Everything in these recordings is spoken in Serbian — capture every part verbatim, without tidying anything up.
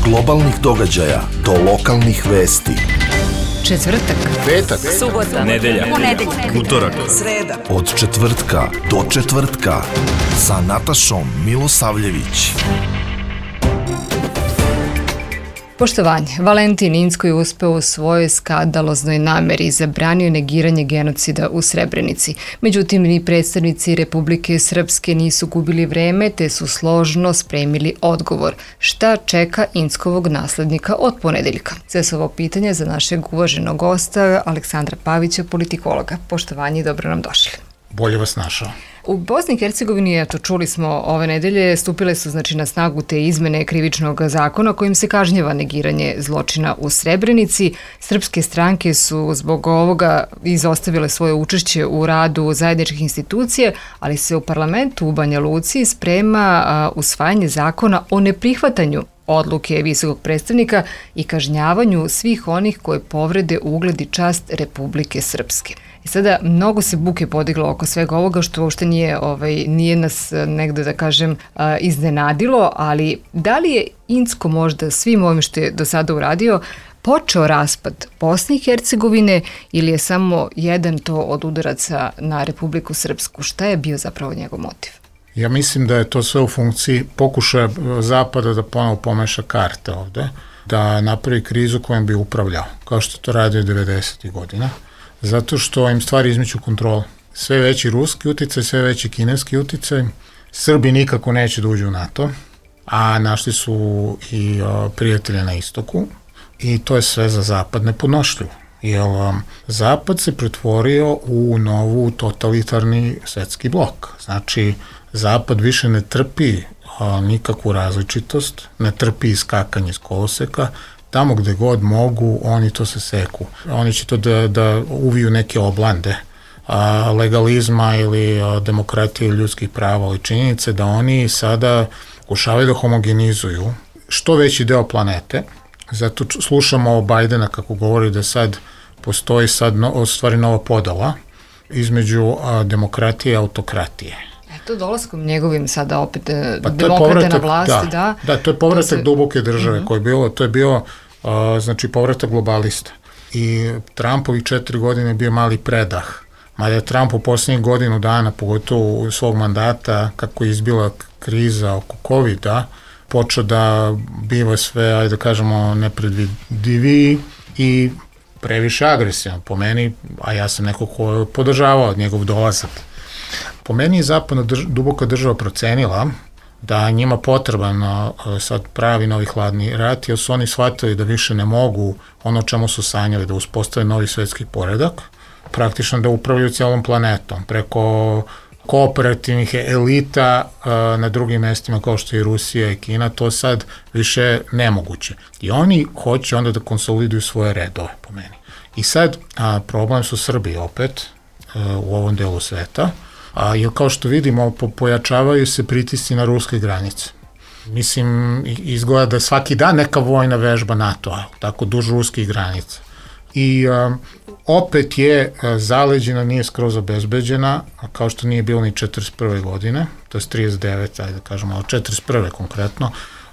globalnih događaja do lokalnih vesti. Četvrtak, petak, subota, nedelja, ponedeljak, utorak, sreda. Od četvrtka do četvrtka sa Natašom Milosavljević. Poštovanje, Valentin Incko je uspeo u svojoj skandaloznoj nameri i zabranio negiranje genocida u Srebrenici. Međutim, ni predstavnici Republike Srpske nisu gubili vreme, te su složno spremili odgovor. Šta čeka Inckovog naslednika od ponedeljka? Sve su ovo pitanje za našeg uvaženog gosta Aleksandra Pavića, politikologa. Poštovanje i dobro nam došli. Bolje vas našao. U Bosni i Hercegovini, eto, čuli smo ove nedelje, stupile su znači na snagu te izmene krivičnog zakona kojim se kažnjava negiranje zločina u Srebrenici. Srpske stranke su zbog ovoga izostavile svoje učešće u radu zajedničkih institucija, ali se u parlamentu u Banja Luci sprema a, usvajanje zakona o neprihvatanju odluke visokog predstavnika i kažnjavanju svih onih koje povrede ugled i čast Republike Srpske. I sada mnogo se buke podiglo oko svega ovoga što uopšte nije, ovaj, nije nas negde da kažem iznenadilo, ali da li je Incko možda svim ovim što je do sada uradio počeo raspad Bosne i Hercegovine ili je samo jedan to od udaraca na Republiku Srpsku? Šta je bio zapravo njegov motiv? Ja mislim da je to sve u funkciji pokušaja Zapada da ponovo pomeša karte ovde, da napravi krizu kojom bi upravljao, kao što to radio devedesetih godina, zato što im stvari izmiču kontrole. Sve veći ruski uticaj, sve veći kineski uticaj, Srbi nikako neće da uđu u NATO, a našli su i o, prijatelje na istoku i to je sve za Zapad nepodnošljivo. Jer um, Zapad se pretvorio u novu totalitarni svetski blok. Znači, Zapad više ne trpi a, nikakvu različitost, ne trpi iskakanje iz koloseka, tamo gde god mogu, oni to se seku. Oni će to da, da uviju neke oblande a, legalizma ili a, demokratije ili ljudskih prava, ali činjenice da oni sada pokušavaju da homogenizuju što veći deo planete. Zato slušamo o Bajdena kako govori da sad postoji sad no, stvari nova podela između a, demokratije i autokratije. Eto, dolaskom njegovim sada opet pa demokrate na vlasti, da. Da, da to je povratak se... duboke države uh-huh. koje je bilo, to je bio a, znači povratak globalista. I Trumpovih četiri godine je bio mali predah. Mada je Trump u posljednjih godinu dana, pogotovo u svog mandata, kako je izbila kriza oko kovida, počeo da biva sve, ajde da kažemo, nepredvidiviji i previše agresivan po meni, a ja sam neko ko je podržavao njegov dolazak. Po meni je zapadna drž duboka država procenila da njima potreban sad pravi novi hladni rat, jer su oni shvatili da više ne mogu ono čemu su sanjali, da uspostave novi svetski poredak, praktično da upravljaju cijelom planetom, preko kooperativnih elita uh, na drugim mestima kao što je Rusija i Kina, to sad više nemoguće. I oni hoće onda da konsoliduju svoje redove, po meni. I sad a, problem su Srbi opet uh, u ovom delu sveta, a, jer kao što vidimo po, pojačavaju se pritisci na ruske granice. Mislim, izgleda da svaki dan neka vojna vežba NATO-a, tako duž ruskih granica. I a, opet je a, zaleđena, nije skroz obezbeđena, kao što nije bilo ni četrdeset prve godine, to je trideset devete, ajde da kažemo, ali četrdeset prve konkretno,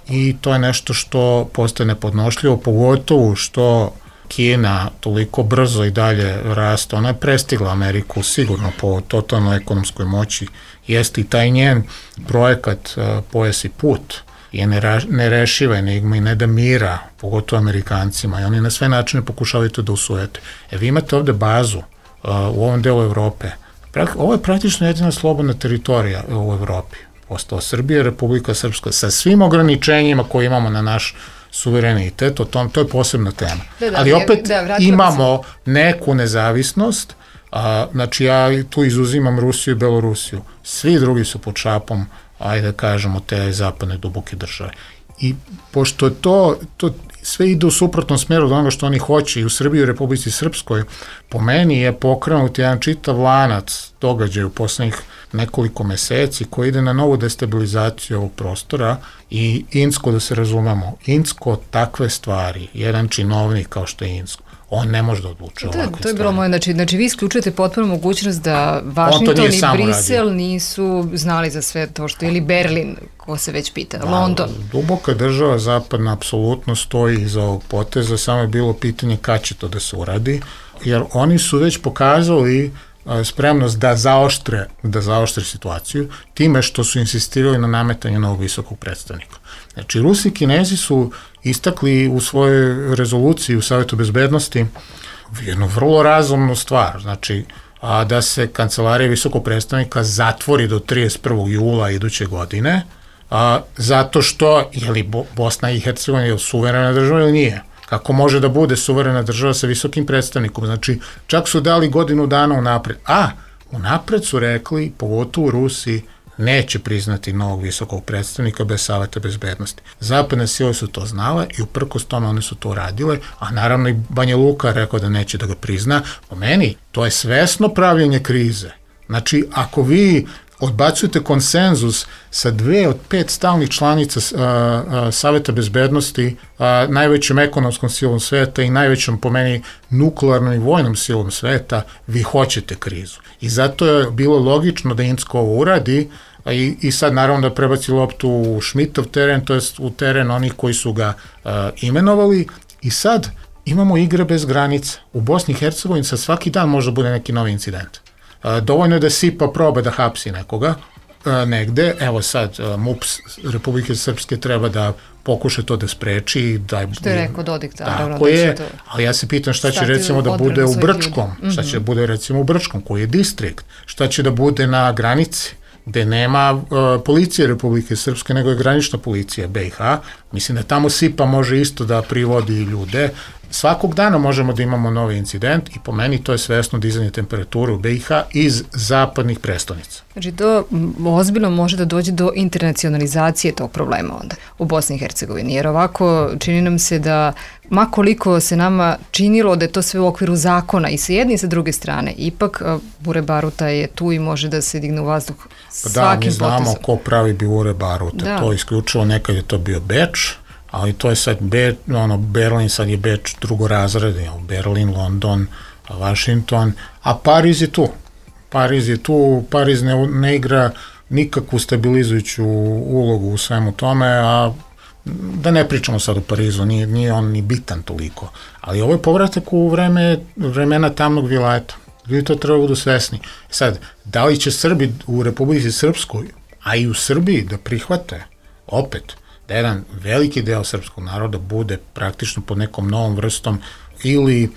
i to je nešto što postaje nepodnošljivo, pogotovo što Kina toliko brzo i dalje raste, ona je prestigla Ameriku sigurno po totalnoj ekonomskoj moći, jeste i taj njen projekat a, Pojas i put, je nerešiva enigma i ne da mira, pogotovo Amerikancima, i oni na sve načine pokušavaju to da usujete. E, vi imate ovde bazu uh, u ovom delu Evrope. Ovo je praktično jedina slobodna teritorija u Evropi. Ostala Srbija, Republika Srpska, sa svim ograničenjima koje imamo na naš suverenitet, o tom, to je posebna tema. Da, da, ali opet da, imamo neku nezavisnost, a, znači ja tu izuzimam Rusiju i Belorusiju. Svi drugi su pod šapom, ajde da kažemo, te zapadne duboke države. I pošto to, to sve ide u suprotnom smeru od onoga što oni hoće i u Srbiji i u Republici Srpskoj, po meni je pokrenut jedan čitav lanac događaja u poslednjih nekoliko meseci koji ide na novu destabilizaciju ovog prostora i Incko, da se razumemo, Incko takve stvari, jedan činovnik kao što je Incko, On ne može da odlučuje ovakve stvari. To je bilo moje, znači, znači vi isključujete potpuno mogućnost da Washington i Brisel radio. Nisu znali za sve to što je, ili Berlin, ko se već pita, da, London. Duboka država zapadna apsolutno stoji iza ovog poteza, samo je bilo pitanje kad će to da se uradi, jer oni su već pokazali spremnost da zaoštre, da zaoštre situaciju time što su insistirali na nametanju novog visokog predstavnika. Znači, Rusi i Kinezi su istakli u svojoj rezoluciji u Savetu bezbednosti jednu vrlo razumnu stvar, znači a, da se kancelarija visokog predstavnika zatvori do trideset prvog jula iduće godine, a, zato što, je li Bosna i Hercegovina je suverena država ili nije? Kako može da bude suverena država sa visokim predstavnikom? Znači, čak su dali godinu dana unapred. A, unapred su rekli, pogotovo Rusi, neće priznati novog visokog predstavnika bez Saveta bezbednosti. Zapadne sile su to znale i uprkos tome one su to radile, a naravno i Banja Luka rekao da neće da ga prizna. Po meni, to je svesno pravljenje krize. Znači, ako vi odbacujete konsenzus sa dve od pet stalnih članica a, a, Saveta bezbednosti, a, najvećom ekonomskom silom sveta i najvećom, po meni, nuklearnom i vojnom silom sveta, vi hoćete krizu. I zato je bilo logično da Incko ovo uradi, a i, i sad naravno da prebaci loptu u Schmidtov teren, to jest u teren onih koji su ga a, imenovali, i sad imamo igre bez granica. U Bosni i Hercegovini sa svaki dan može da bude neki novi incident. Dovoljno je da SIPA proba da hapsi nekoga negde, evo sad M U P Republike Srpske treba da pokuša to da spreči. Da, što je rekao Dodik, da, tako je, to... ali ja se pitam šta će recimo da bude u Brčkom, ljudi. Šta će da bude recimo u Brčkom, koji je distrikt, šta će da bude na granici, gde nema uh, policije Republike Srpske, nego je granična policija B i H. Mislim da tamo SIPA može isto da privodi ljude. Svakog dana možemo da imamo novi incident i po meni to je svesno dizanje temperature u B i H iz zapadnih prestonica. Znači to ozbiljno može da dođe do internacionalizacije tog problema onda u Bosni i Hercegovini, jer ovako čini nam se da ma koliko se nama činilo da je to sve u okviru zakona i sa jedne i sa druge strane, ipak bure baruta je tu i može da se digne u vazduh svakim potezom. Da, mi znamo potezom. Ko pravi bure baruta, da. To je isključivo, nekad je to bio Beč, ali to je sad, Be, ono, Berlin sad je Beč drugorazredni, Berlin, London, Washington, a Pariz je tu. Pariz je tu, Pariz ne, ne igra nikakvu stabilizujuću ulogu u svemu tome, a da ne pričamo sad o Parizu, nije, nije on ni bitan toliko, ali ovo je povratak u vreme, vremena tamnog vilajeta. Vi to treba budu svesni. Sad, da li će Srbi u Republici Srpskoj, a i u Srbiji da prihvate opet da jedan veliki deo srpskog naroda bude praktično pod nekom novom vrstom ili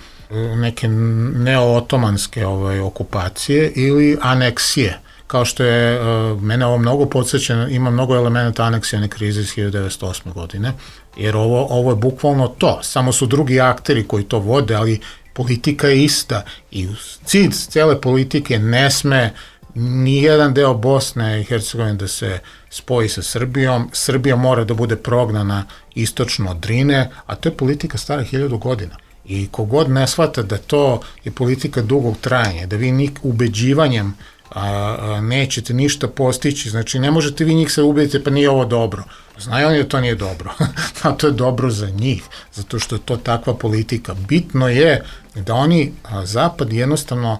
neke neo-otomanske ovaj, okupacije ili aneksije, kao što je, uh, mene ovo mnogo podsjeća, ima mnogo elementa aneksijane krize iz hiljadu devetsto osme godine, jer ovo, ovo je bukvalno to, samo su drugi akteri koji to vode, ali politika je ista i cilj cele politike ne sme nijedan deo Bosne i Hercegovine da se spoji sa Srbijom. Srbija mora da bude prognana istočno od Drine, a to je politika stara hiljadu godina. I kogod ne shvata da to je politika dugog trajanja, da vi nik ubeđivanjem a, a, nećete ništa postići, znači ne možete vi njih se ubediti pa nije ovo dobro. Znaju oni da to nije dobro, a to je dobro za njih, zato što je to takva politika. Bitno je da oni, a, Zapad jednostavno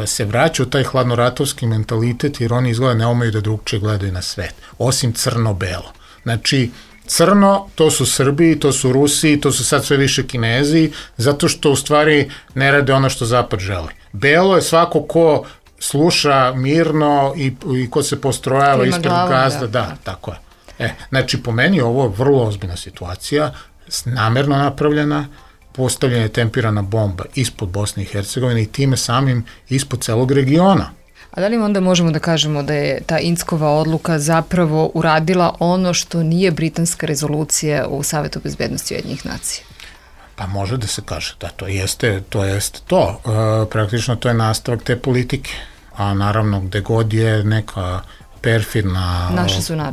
se vraća u taj hladnoratovski mentalitet, jer oni izgleda ne umeju da drugčije gledaju na svet, osim crno-belo. Znači, crno, to su Srbi, to su Rusi, to su sad sve više Kinezi, zato što u stvari ne rade ono što Zapad želi. Belo je svako ko sluša mirno i, i ko se postrojava ispred glavom, gazda, da, da, tako je. E, znači, po meni ovo je vrlo ozbiljna situacija, namerno napravljena, postavljena je tempirana bomba ispod Bosne i Hercegovine i time samim ispod celog regiona. A da li onda možemo da kažemo da je ta Inckova odluka zapravo uradila ono što nije britanska rezolucija u Savetu bezbednosti Ujedinjenih nacija? Pa može da se kaže da to jeste to. Jeste to. E, praktično to je nastavak te politike, a naravno gde god je neka perfidna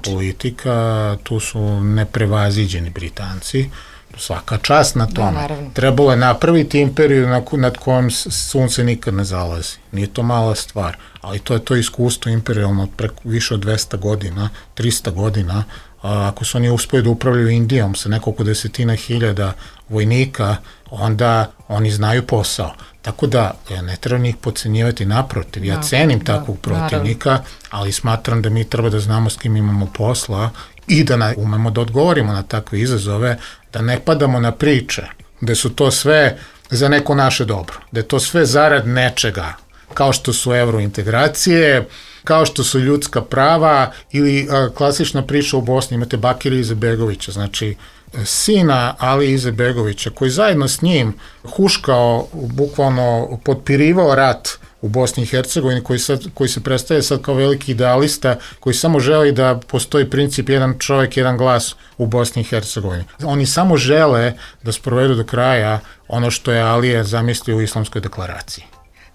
politika, tu su neprevaziđeni Britanci. Svaka čast na tome. Da, trebalo je napraviti imperiju nad kojom sunce nikad ne zalazi. Nije to mala stvar, ali to je to iskustvo imperijalno preko više od dvesta godina, trista godina, ako su oni uspeli da upravljaju Indijom sa nekoliko desetina hiljada vojnika, onda oni znaju posao. Tako da ne treba njih podcenjivati, naprotiv. Ja cenim da, takvog protivnika, naravno. Ali smatram da mi treba da znamo s kim imamo posla i da na, umemo da odgovorimo na takve izazove, da ne padamo na priče, da su to sve za neko naše dobro, da je to sve zarad nečega, kao što su evrointegracije, kao što su ljudska prava ili a, klasična priča u Bosni, imate Bakira Izetbegovića, znači sina Ali Izetbegovića, koji zajedno s njim huškao, bukvalno potpirivao rat u Bosni i Hercegovini, koji, sad, koji se predstavlja sad kao veliki idealista, koji samo želi da postoji princip jedan čovjek, jedan glas u Bosni i Hercegovini. Oni samo žele da sprovedu do kraja ono što je Alija zamislio u Islamskoj deklaraciji.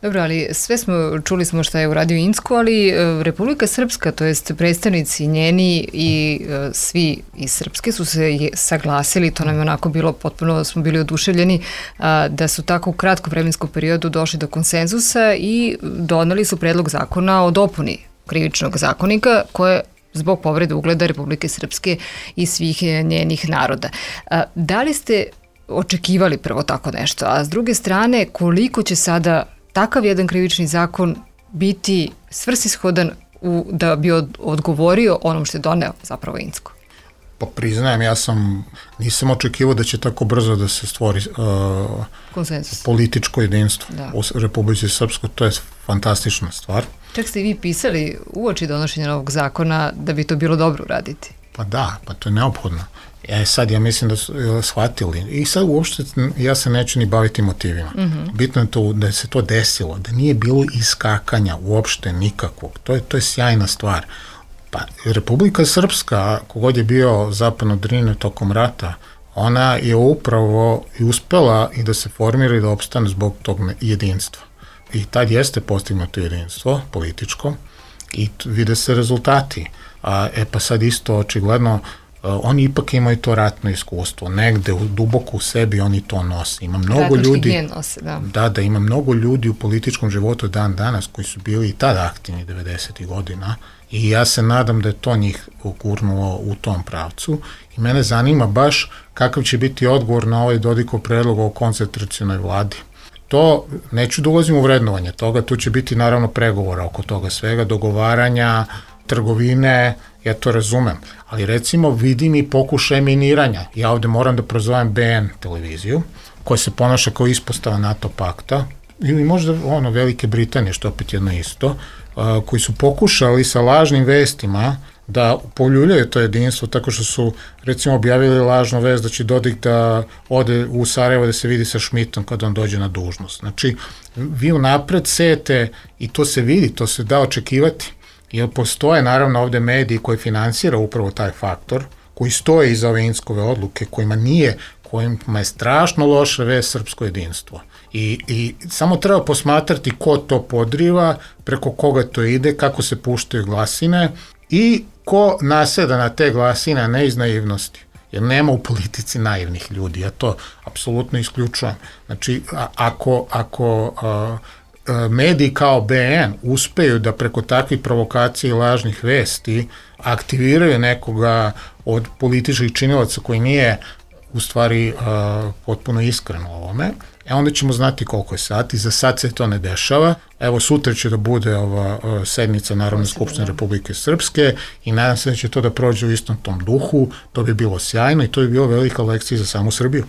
Dobro, ali sve smo, čuli smo šta je uradio Incko, ali Republika Srpska, to jest predstavnici njeni i e, svi iz Srpske su se saglasili, to nam je onako bilo potpuno, smo bili oduševljeni, a, da su tako u kratkom vremenskom periodu došli do konsenzusa i doneli su predlog zakona o dopuni krivičnog zakonika koje zbog povrede ugleda Republike Srpske i svih njenih naroda. A, da li ste očekivali prvo tako nešto, a s druge strane koliko će sada takav jedan krivični zakon biti svrsishodan u, da bi od, odgovorio onom što je doneo zapravo Incko? Pa priznajem, ja sam, nisam očekivao da će tako brzo da se stvori uh, konsenzus, političko jedinstvo da. U Republici Srpskoj, to je fantastična stvar. Čak ste i vi pisali uoči donošenja novog zakona da bi to bilo dobro uraditi. Pa da, pa to je neophodno. E sad ja mislim da su shvatili i sad uopšte ja se neću ni baviti motivima. Mm-hmm. Bitno je to da se to desilo, da nije bilo iskakanja uopšte nikakvog. To je, to je sjajna stvar. Pa Republika Srpska, kogod je bio zapadno Drine tokom rata, ona je upravo i uspela i da se formira i da opstane zbog tog jedinstva. I tad jeste postignuto jedinstvo političko i vide se rezultati. A, e pa sad isto očigledno oni ipak imaju to ratno iskustvo, negde u, duboko u sebi oni to nose. Ima mnogo ljudi, nose, da. da, da ima mnogo ljudi u političkom životu dan danas koji su bili i tada aktivni devedesetih godina i ja se nadam da je to njih gurnulo u tom pravcu i mene zanima baš kakav će biti odgovor na ovaj Dodikov predlog o koncentracionoj vladi. To, neću da ulazim u vrednovanje toga, tu će biti naravno pregovora oko toga svega, dogovaranja, trgovine, ja to razumem, ali recimo vidim i pokušaj miniranja. Ja ovde moram da prozovem B N televiziju, koja se ponaša kao ispostava NATO pakta, ili možda ono Velike Britanije, što opet jedno isto, a, koji su pokušali sa lažnim vestima da poljuljaju to jedinstvo, tako što su recimo objavili lažnu vest da će Dodik da ode u Sarajevo da se vidi sa Šmitom kada on dođe na dužnost. Znači, vi unapred sejete i to se vidi, to se da očekivati. Jer postoje naravno ovde mediji koji finansira upravo taj faktor, koji stoje iza ove Inckove odluke, kojima nije, kojima je strašno loše vest srpsko jedinstvo. I, I samo treba posmatrati ko to podriva, preko koga to ide, kako se puštaju glasine i ko naseda na te glasine, ne iz naivnosti. Jer nema u politici naivnih ljudi, ja to apsolutno isključujem. Znači, a, ako, ako a, mediji kao B N uspeju da preko takvih provokacija i lažnih vesti aktiviraju nekoga od političkih činilaca koji nije u stvari uh, potpuno iskren u ovome, e onda ćemo znati koliko je sati. Za sad se to ne dešava. Evo sutra će da bude ova uh, sednica Narodne skupštine Republike Srpske i nadam se da će to da prođe u istom tom duhu. To bi bilo sjajno i to bi bilo velika lekcija za samu Srbiju.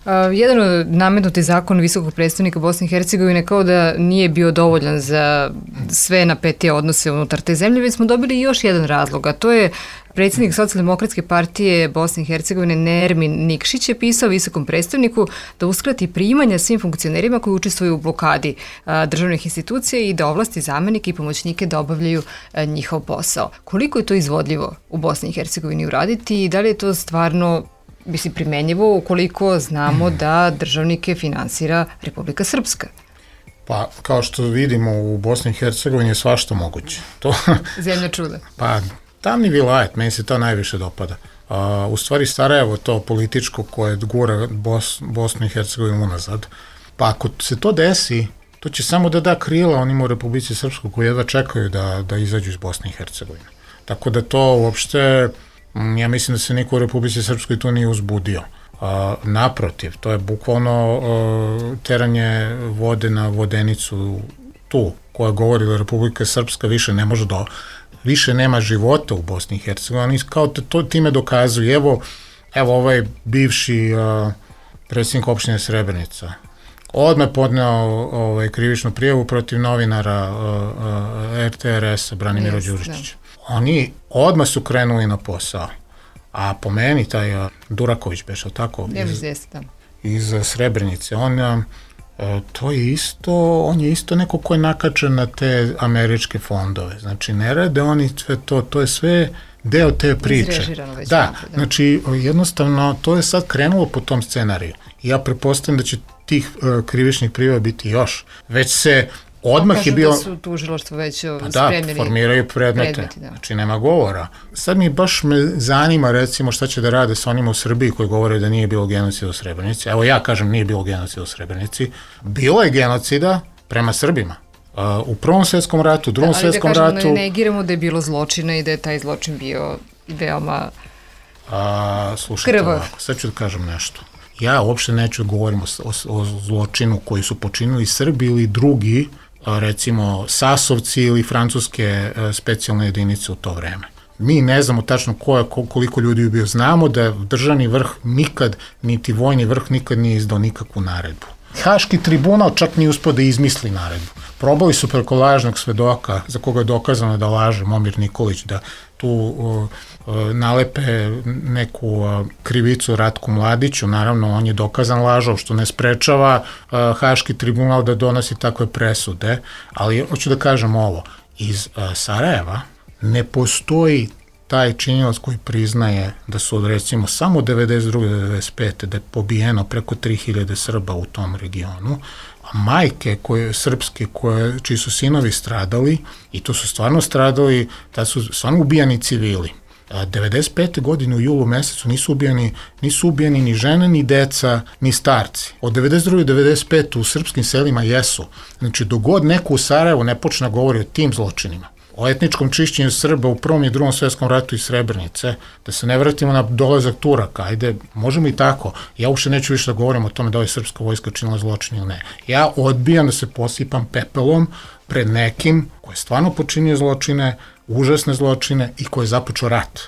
Uh, jedan od nametnuti zakon visokog predstavnika Bosne i Hercegovine kao da nije bio dovoljan za sve napetije odnose unutar te zemlje, već smo dobili još jedan razlog, a to je predsjednik Socijaldemokratske partije Bosne i Hercegovine Nermin Nikšić je pisao visokom predstavniku da uskrati primanja svim funkcionerima koji učestvuju u blokadi a, državnih institucija i da ovlasti zamenike i pomoćnike da obavljaju a, njihov posao. Koliko je to izvodljivo u Bosni i Hercegovini uraditi i da li je to stvarno mislim primenjivo ukoliko znamo da državnike finansira Republika Srpska? Pa, kao što vidimo u Bosni i Hercegovini je svašta moguće. To, Zemlja čuda. Pa, tamni vilajet, meni se to najviše dopada. A, u stvari Sarajevo to političko koje gura Bos, Bosnu i Hercegovinu unazad. Pa ako se to desi, to će samo da da krila onima u Republici Srpskoj koji jedva čekaju da, da izađu iz Bosne i Hercegovine. Tako da to uopšte Ja mislim da se niko u Republici Srpskoj tu nije uzbudio. A, naprotiv, to je bukvalno a, teranje vode na vodenicu tu, koja govori da Republika Srpska više ne može do, više nema života u Bosni i Hercegovini. Oni kao to time dokazuju. Evo, evo ovaj bivši a, predsjednik opštine Srebrenica odmah podneo ovaj, krivičnu prijavu protiv novinara a, a, er te er es-a Branimira yes, Đuričića. Oni odmah su krenuli na posao. A po meni taj a, Duraković bešao tako iz, iz Srebrenice, on a, to je isto, on je isto neko ko je nakačen na te američke fondove. Znači ne rade oni sve to, to je sve deo te priče. Već da, da, znači jednostavno to je sad krenulo po tom scenariju. Ja pretpostavljam da će tih uh, krivičnih prijava biti još. Već se odmah kažu je bio... da su tužilaštvo već spremljeni. Da, formiraju predmete, predmeti, da. Znači nema govora. Sad mi baš me zanima recimo šta će da rade sa onima u Srbiji koji govore da nije bilo genocida u Srebrenici. Evo ja kažem nije bilo genocida u Srebrenici. Bilo je genocida prema Srbima. Uh, u Prvom svetskom ratu, u Drugom da, svetskom ratu... Ali da kažemo, ne negiramo da je bilo zločina i da je taj zločin bio veoma A, slušajte krvav. Ovako, sad ću da kažem nešto. Ja uopšte neću da govorim o, o, o zločinu koji su počinili Srbi ili drugi, recimo Sasovci ili francuske specijalne jedinice u to vreme. Mi ne znamo tačno ko je, koliko ljudi je bio. Znamo da državni vrh nikad, niti vojni vrh nikad nije izdao nikakvu naredbu. Haški tribunal čak nije uspio da izmisli naredbu. Probali su preko lažnog svedoka, za koga je dokazano da laže Momir Nikolić, da tu uh, uh, nalepe neku uh, krivicu Ratku Mladiću. Naravno, on je dokazan lažov, što ne sprečava uh, Haški tribunal da donosi takve presude. Ali hoću da kažem ovo, iz uh, Sarajeva ne postoji taj činilac koji priznaje da su od recimo samo devedeset druge do devedeset pete da je pobijeno preko tri hiljade Srba u tom regionu, a majke koje, srpske koje, čiji su sinovi stradali, i to su stvarno stradali, da su stvarno ubijani civili. devedeset pete godine u julu mesecu nisu ubijani, nisu ubijani ni žene, ni deca, ni starci. Od devedeset druge do devedeset pete u srpskim selima jesu. Znači, dogod neko u Sarajevu ne počne govori o tim zločinima, o etničkom čišćenju Srba u Prvom i Drugom svetskom ratu iz Srebrenice, da se ne vratimo na dolazak Turaka, ajde, možemo i tako. Ja uopšte neću više da govorim o tome da je srpska vojska činila zločin ili ne. Ja odbijam da se posipam pepelom pred nekim koji je stvarno počinio zločine, užasne zločine i koji je započeo rat.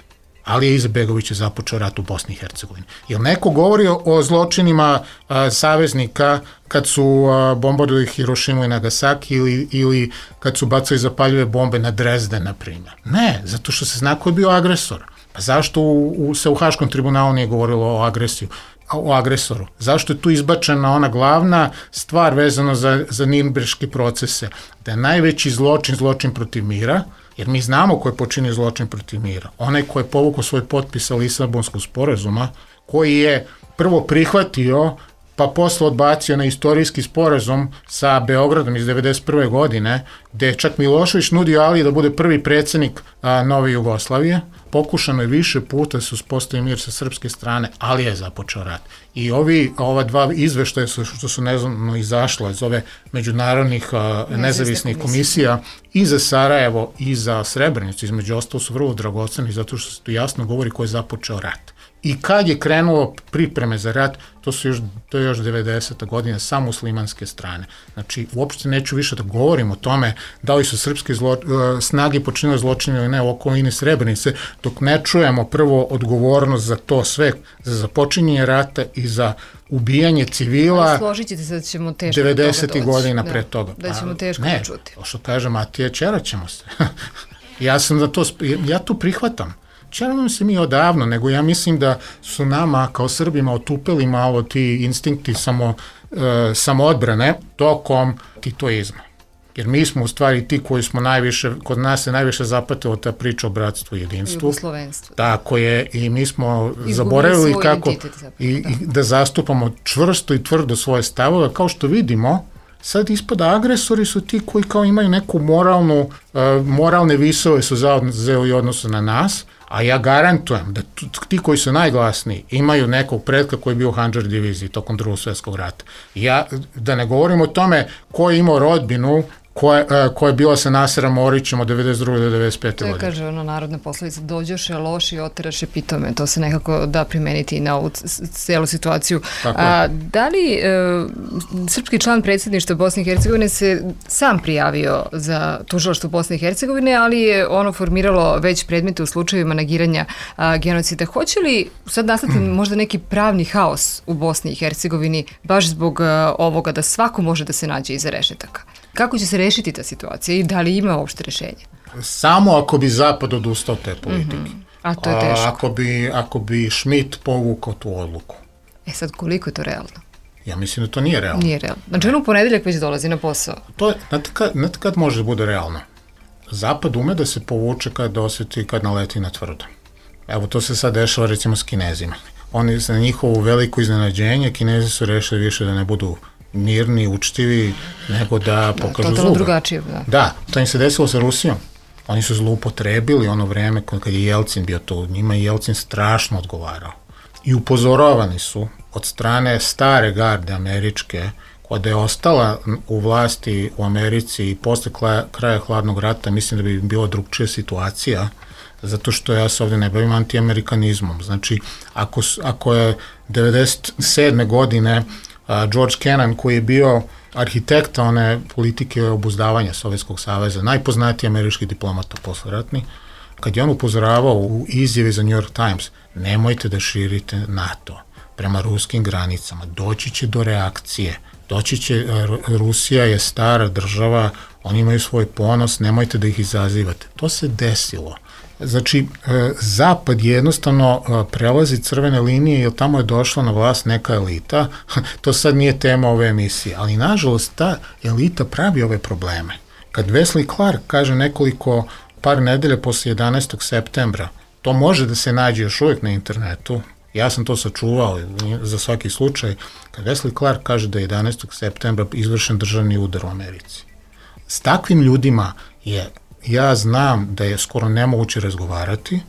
Alija Izetbegović je započeo rat u Bosni i Hercegovini. Jel neko govori o, o zločinima a, saveznika kad su a, bombardovali Hirošimu i Nagasaki ili, ili kad su bacali zapaljive bombe na Drezden, na primjer? Ne, zato što se zna ko je bio agresor. Pa zašto u, u, se u Haškom tribunalu nije govorilo o agresiju? o agresoru. Zašto je tu izbačena ona glavna stvar vezano za, za Nirnberške procese? Da je najveći zločin, zločin protiv mira, jer mi znamo ko je počinio zločin protiv mira. Onaj ko je povukao svoj potpis sa Lisabonskog sporazuma, koji je prvo prihvatio, pa posle odbacio na istorijski sporazum sa Beogradom iz devedeset prve godine, gde je čak Milošević nudio Aliji da bude prvi predsjednik a, Nove Jugoslavije. Pokušano je više puta da se uspostavi mir sa srpske strane, ali je započeo rat. I ovi, ova dva izveštaja su, što su neznano izašla iz ove međunarodnih a, nezavisnih komisija i za Sarajevo i za Srebrenicu, između ostalo su vrlo dragoceni, zato što se tu jasno govori ko je započeo rat. I kad je krenulo pripreme za rat, to su još, to je još devedeseta godina sa muslimanske strane. Znači, uopšte neću više da govorim o tome da li su srpske zlo, uh, snage počinile zločine ili ne u okolini Srebrenice, dok ne čujemo prvo odgovornost za to sve, za započinjenje rata i za ubijanje civila. Složit ćete se da ćemo teško devedesetih godina da, pre toga. Da ćemo teško ne, čuti. Ne, što kaže Matija, čerat ćemo se. ja sam za to, ja tu prihvatam. Čeravamo se mi odavno, nego ja mislim da su nama kao Srbima otupeli malo ti instinkti samo, e, samoodbrane tokom titoizma. Jer mi smo u stvari ti koji smo najviše, kod nas se najviše zapatila ta priča o bratstvu i jedinstvu. Jugoslovenstvu. Tako je, i mi smo izgubili zaboravili kako zapravo, i, da. i da zastupamo čvrsto i tvrdo svoje stavove, kao što vidimo. Sad ispada agresori su ti koji kao imaju neku moralnu, uh, moralne visove su zauzeli odnosu na nas, a ja garantujem da ti koji su najglasniji imaju nekog predka koji je bio u Handžar diviziji tokom Drugog svjetskog rata. Ja, da ne govorim o tome ko je imao rodbinu koja, koja je bila sa Naserom Orićem od devedeset druge do devedeset pete To je, godine. kaže, ono narodna poslovica, dođoše loši, oteraše pitome. To se nekako da primeniti na ovu celu situaciju. A, da li e, srpski član predsjedništva Bosne i Hercegovine se sam prijavio za tužilaštvo Bosne i Hercegovine, ali je ono formiralo već predmete u slučajevima negiranja a, genocida. Hoće li sad nastati hmm. možda neki pravni haos u Bosni i Hercegovini baš zbog a, ovoga da svako može da se nađe iza rešetaka? Kako će se rešiti ta situacija i da li ima uopšte rešenje? Samo ako bi Zapad odustao te politike. Mm-hmm. A to je teško. A, ako bi, ako bi Schmidt povukao tu odluku. E sad, koliko je to realno? Ja mislim da to nije realno. Nije realno. Znači, on u ponedeljak već dolazi na posao. To je, znate kad, znate kad može da bude realno? Zapad ume da se povuče kad osjeti, kad naleti na tvrdo. Evo, to se sad dešava recimo s Kinezima. Oni, za njihovo veliko iznenađenje, Kinezi su rešili više da ne budu mirni, učtivi, nego da pokažu zuba. Totalno drugačije, da. Da, to im se desilo sa Rusijom. Oni su zloupotrebili ono vreme kad je Jelcin bio to, njima je Jelcin strašno odgovarao. I upozoravani su od strane stare garde američke, koja je ostala u vlasti u Americi i posle kraja hladnog rata, mislim da bi bila drugčija situacija, zato što ja se ovdje ne bavim antiamerikanizmom. Znači, ako, ako je devedeset sedme godine George Kennan, koji je bio arhitekta one politike obuzdavanja Sovjetskog saveza, najpoznatiji američki diplomata posleratni, kad je on upozoravao u izjavi za New York Times, nemojte da širite NATO prema ruskim granicama, doći će do reakcije, doći će, Rusija je stara država, oni imaju svoj ponos, nemojte da ih izazivate. To se desilo. Znači, Zapad jednostavno prelazi crvene linije jer tamo je došla na vlast neka elita, to sad nije tema ove emisije, ali nažalost ta elita pravi ove probleme. Kad Wesley Clark kaže nekoliko, par nedelja posle jedanaestog septembra, to može da se nađe još uvijek na internetu, ja sam to sačuvao za svaki slučaj, kad Wesley Clark kaže da je jedanaestog septembra izvršen državni udar u Americi. S takvim ljudima je ja znam da je skoro nemoguće razgovarati.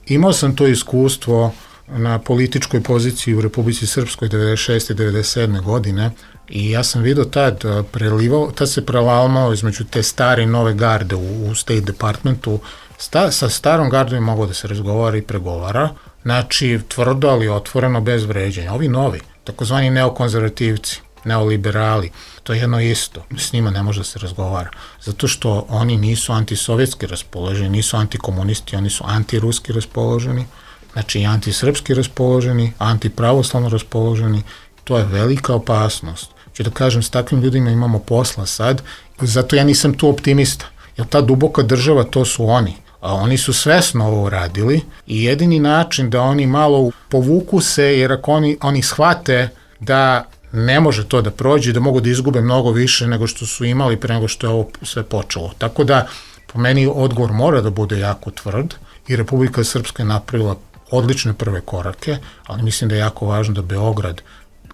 Imao sam to iskustvo na političkoj poziciji u Republici Srpskoj devedeset šeste i devedeset sedme godine i ja sam vidio tad prelivao, tad se prelamao između te stare i nove garde u, u State Departmentu. Sta, sa starom gardom je moglo da se razgovara i pregovara, znači tvrdo, ali otvoreno, bez vređenja. Ovi novi, takozvani neokonzervativci, neoliberali, to je jedno isto, s njima ne može da se razgovara, zato što oni nisu antisovjetski raspoloženi, nisu antikomunisti, oni su antiruski raspoloženi, znači i antisrpski raspoloženi, antipravoslavno raspoloženi, to je velika opasnost. Ću da kažem, s takvim ljudima imamo posla sad, zato ja nisam tu optimista, jer ta duboka država, to su oni, a oni su svesno ovo uradili i jedini način da oni malo povuku se, jer ako oni, oni shvate da ne može to da prođe, da mogu da izgube mnogo više nego što su imali pre nego što je ovo sve počelo. Tako da, po meni, odgovor mora da bude jako tvrd i Republika Srpska je napravila odlične prve korake, ali mislim da je jako važno da Beograd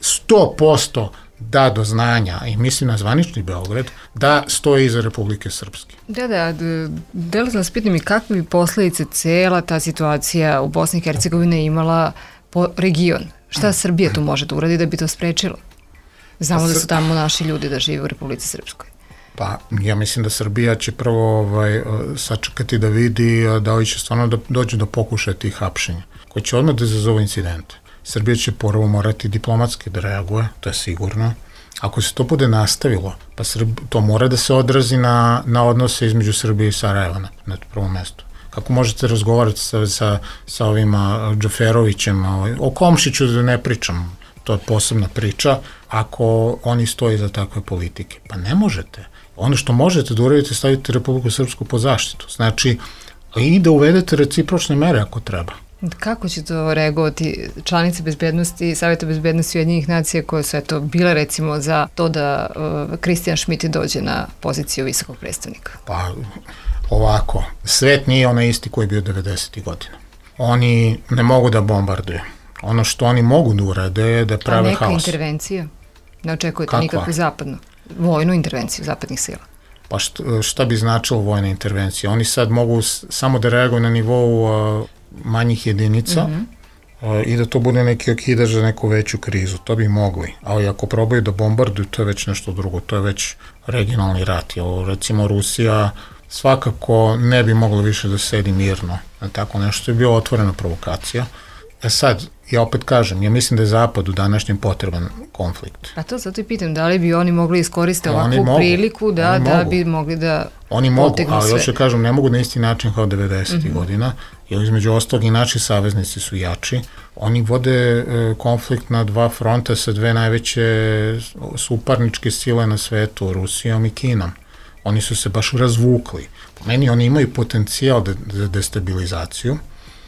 sto posto da do znanja, i mislim na zvanični Beograd, da stoji iza Republike Srpske. Da, da, delo sam vas pitam i kakve bi posledice cela ta situacija u Bosni i Hercegovine imala po region? Šta Srbija tu može da uradi da bi to sprečilo? Znamo da su tamo naši ljudi da žive u Republici Srpskoj. Pa, ja mislim da Srbija će prvo ovaj, sačekati da vidi da li će stvarno da dođe do pokušaja tih hapšenja, koji će odmah da izazovu incidente. Srbija će prvo morati diplomatski da reaguje, to je sigurno. Ako se to bude nastavilo, pa Srb, to mora da se odrazi na, na odnose između Srbije i Sarajeva na, na prvom mestu. Kako možete razgovarati sa, sa, sa ovima Džaferovićem, o Komšiću da ne pričam, to je posebna priča, ako oni stoji za takve politike. Pa ne možete. Ono što možete da uradite, stavite Republiku Srpsku pod zaštitu. Znači, i da uvedete recipročne mere ako treba. Kako će to reagovati članice bezbednosti, Savjeta bezbednosti Ujedinjenih nacija koje su eto bile recimo za to da Kristijan uh, Schmidt dođe na poziciju visokog predstavnika? Pa ovako, svet nije onaj isti koji je bio devedesetih godina. Oni ne mogu da bombarduju. Ono što oni mogu da urade je da prave haos. A neka haos. Intervencija? Ne očekujete Kakva? Nikakvu zapadnu, vojnu intervenciju zapadnih sila? Pa šta, šta bi značilo vojna intervencija? Oni sad mogu samo da reaguju na nivou uh, manjih jedinica, mm-hmm. i da to bude neki okidač za neku veću krizu. To bi mogli. Ali ako probaju da bombarduju, to je već nešto drugo. To je već regionalni rat. Jer, recimo, Rusija svakako ne bi mogla više da sedi mirno. Tako nešto je bio otvorena provokacija. E sad, ja opet kažem, ja mislim da je Zapad u današnjem potreban konflikt. A to zato i pitam, da li bi oni mogli iskoristiti ovakvu mogu. priliku da, Oni da mogu. bi mogli da Oni mogu, potegnu ali sve. još kažem, ne mogu na isti način kao devedesetih Mm-hmm. godina, jer između ostalog i naši saveznici su jači. Oni vode e, konflikt na dva fronta sa dve najveće suparničke sile na svetu, Rusijom i Kinom. Oni su se baš razvukli. Po meni oni imaju potencijal de, za destabilizaciju,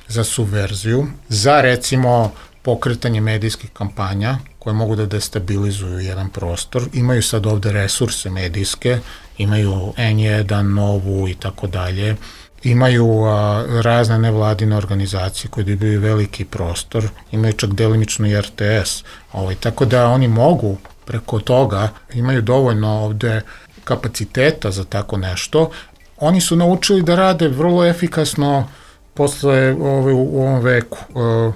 za subverziju, za recimo pokretanje medijskih kampanja koje mogu da destabilizuju jedan prostor. Imaju sad ovde resurse medijske, imaju en jedan, Novu i tako dalje. Imaju a, razne nevladine organizacije koje dobiju veliki prostor, imaju čak delimično i er te es. Ovaj, tako da oni mogu preko toga, imaju dovoljno ovde kapaciteta za tako nešto. Oni su naučili da rade vrlo efikasno posle ove, u ovom veku uh,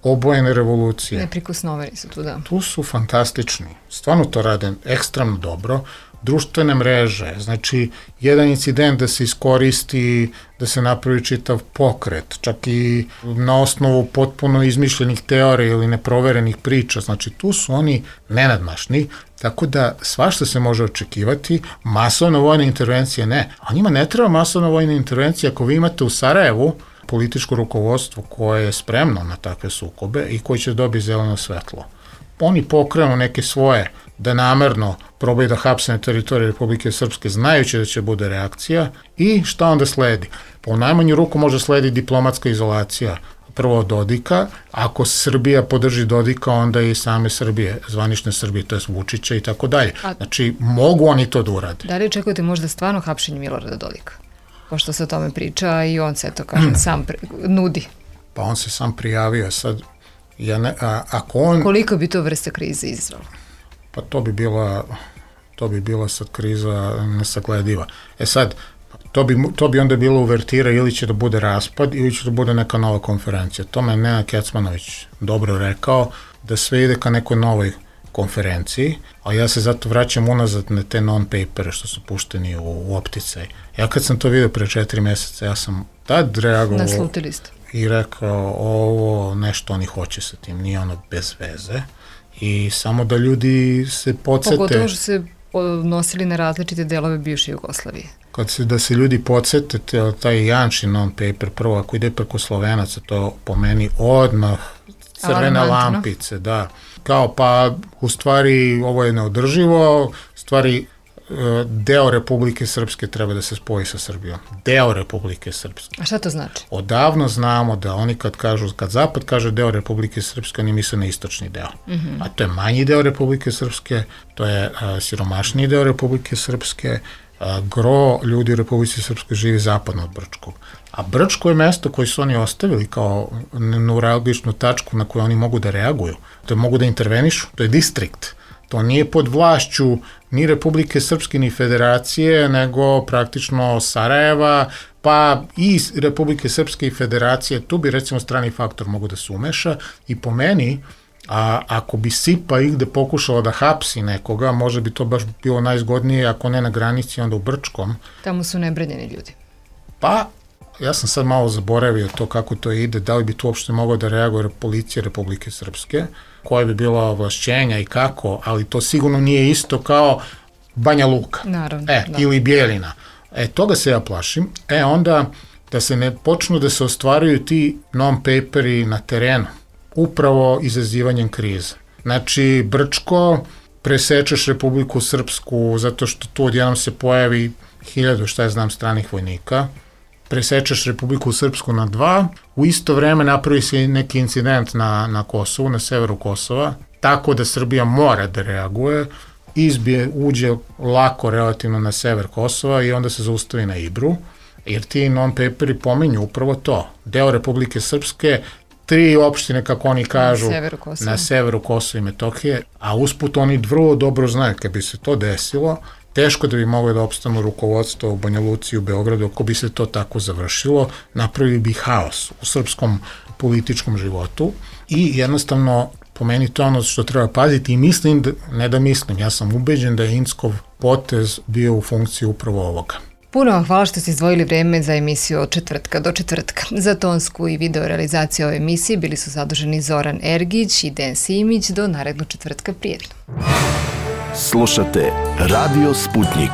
obojene revolucije. Neprikosnoveni su tu, da. Tu su fantastični. Stvarno to rade ekstremno dobro. Društvene mreže, znači jedan incident da se iskoristi, da se napravi čitav pokret, čak i na osnovu potpuno izmišljenih teorija ili neproverenih priča, znači tu su oni nenadmašni, tako da svašta se može očekivati, masovna vojna intervencija ne, a njima ne treba masovna vojna intervencija ako vi imate u Sarajevu političko rukovodstvo koje je spremno na takve sukobe i koje će dobiti zeleno svetlo. Oni pokrenu neke svoje da namerno probaju da hapse na teritoriji Republike Srpske, znajući da će bude reakcija i šta onda sledi? Po najmanju ruku može sledi diplomatska izolacija, prvo Dodika, ako Srbija podrži Dodika, onda i same Srbije, zvanične Srbije, to je Vučića i tako dalje. Znači, mogu oni to da urade. Da li očekujete možda stvarno hapšenje Milorada Dodika? Pošto se o tome priča i on se, to kažem, sam pre, nudi. Pa on se sam prijavio sad. Ja ne, a, ako on... Koliko bi to vrste krize izazvalo? Pa to bi bila, to bi bila sad kriza nesaglediva. E sad, to bi, to bi onda bilo uvertira ili će da bude raspad ili će da bude neka nova konferencija. To me Nenad Kecmanović dobro rekao, da sve ide ka nekoj novoj konferenciji, a ja se zato vraćam unazad na te non-papere što su pušteni u, u opticaj. Ja kad sam to vidio pre četiri meseca, ja sam tad reagovao... Naslutili ste. I rekao, ovo nešto oni hoće sa tim, nije ono bez veze. I samo da ljudi se podsete... Pogotovo što se odnosili na različite delove bivše Jugoslavije. Kad se, da se ljudi podsete, te, taj Janšin non-paper, prvo ako ide preko Slovenaca, to po meni odmah crvene lampice, da. Kao pa, u stvari, ovo je neodrživo, stvari, deo Republike Srpske treba da se spoji sa Srbijom. Deo Republike Srpske. A šta to znači? Odavno znamo da oni kad kažu, kad Zapad kaže deo Republike Srpske, oni misle na istočni deo. Mm-hmm. A to je manji deo Republike Srpske, to je a, siromašniji deo Republike Srpske, a, gro ljudi u Republike Srpske živi zapadno od Brčkog. A Brčko je mesto koje su oni ostavili kao neuralgičnu tačku na koju oni mogu da reaguju. To je mogu da intervenišu, to je distrikt. To nije pod vlašću ni Republike Srpske ni Federacije, nego praktično Sarajeva, pa i Republike Srpske i Federacije, tu bi recimo strani faktor mogu da se umeša i po meni, a ako bi SIPA igde pokušala da hapsi nekoga, možda bi to baš bilo najzgodnije, ako ne na granici, onda u Brčkom. Tamo su nebranjeni ljudi. Pa, ja sam sad malo zaboravio to kako to ide, da li bi tu uopšte mogao da reaguje policija Republike Srpske, koje bi bilo ovlašćenja i kako, ali to sigurno nije isto kao Banja Luka. Naravno. E, da. Ili Bijeljina. E, toga se ja plašim. E, onda da se ne počnu da se ostvaruju ti non-paperi na terenu, upravo izazivanjem krize. Znači, Brčko, presečeš Republiku Srpsku zato što tu odjednom se pojavi hiljadu, šta ja znam, stranih vojnika, presečeš Republiku Srpsku na dva, u isto vreme napravi se neki incident na, na Kosovu, na severu Kosova, tako da Srbija mora da reaguje, izbije, uđe lako relativno na sever Kosova i onda se zaustavi na Ibru, jer ti non-paperi pominju upravo to. Deo Republike Srpske, tri opštine, kako oni kažu, na severu Kosova, na severu Kosova i Metohije, a usput oni vrlo dobro znaju, kad bi se to desilo, teško da bi moglo da opstanu rukovodstvo u Banja Luci i u Beogradu ako bi se to tako završilo, napravili bi haos u srpskom političkom životu i jednostavno po meni to ono što treba paziti i mislim, da, ne da mislim, ja sam ubeđen da je Inckov potez bio u funkciji upravo ovoga. Puno vam hvala što ste izdvojili vreme za emisiju od četvrtka do četvrtka. Za tonsku i video realizaciju ove emisije bili su zaduženi Zoran Ergić i Dejan Simić. Do narednog četvrtka, prijetno. Slušate Radio Sputnik.